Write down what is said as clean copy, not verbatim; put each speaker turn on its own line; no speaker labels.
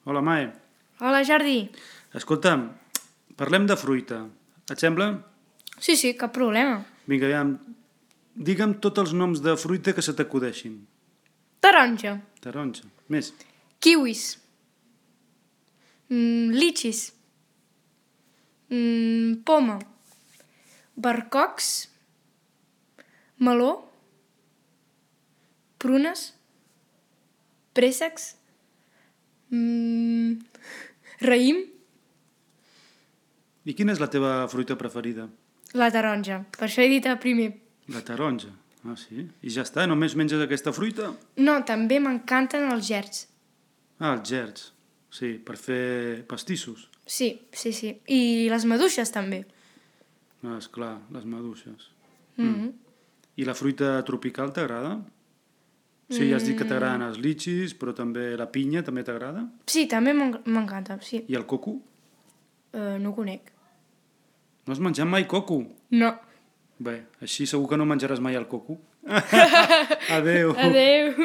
Hola, Mae.
Hola, Jordi.
Escolta'm, parlem de fruita. Et sembla?
Sí, cap problema.
Vinga, aviam, digue'm tots els noms de fruita que se t'acudeixin.
Taronja,
Taronja. Més.
kiwis, litxis, poma, barcocs, meló, prunes, préssecs, raïm,
I quina és la teva fruita preferida?
la taronja. Per això he dit el primer.
La taronja. Ah, sí? I ja està? Només menges aquesta fruita?
No, també m'encanten els gerds.
Ah, els gerds. Sí, per fer pastissos.
Sí. I les maduixes també.
Ah, esclar, les maduixes. I la fruita tropical t'agrada? Sí, ja has dit que t'agraden els litxis, però també la pinya també t'agrada?
Sí, també m'encanta, sí.
I el coco?
No ho conec.
No has menjat mai coco?
No.
Bé, així segur que no menjaràs mai el coco. Adeu.
Adeu.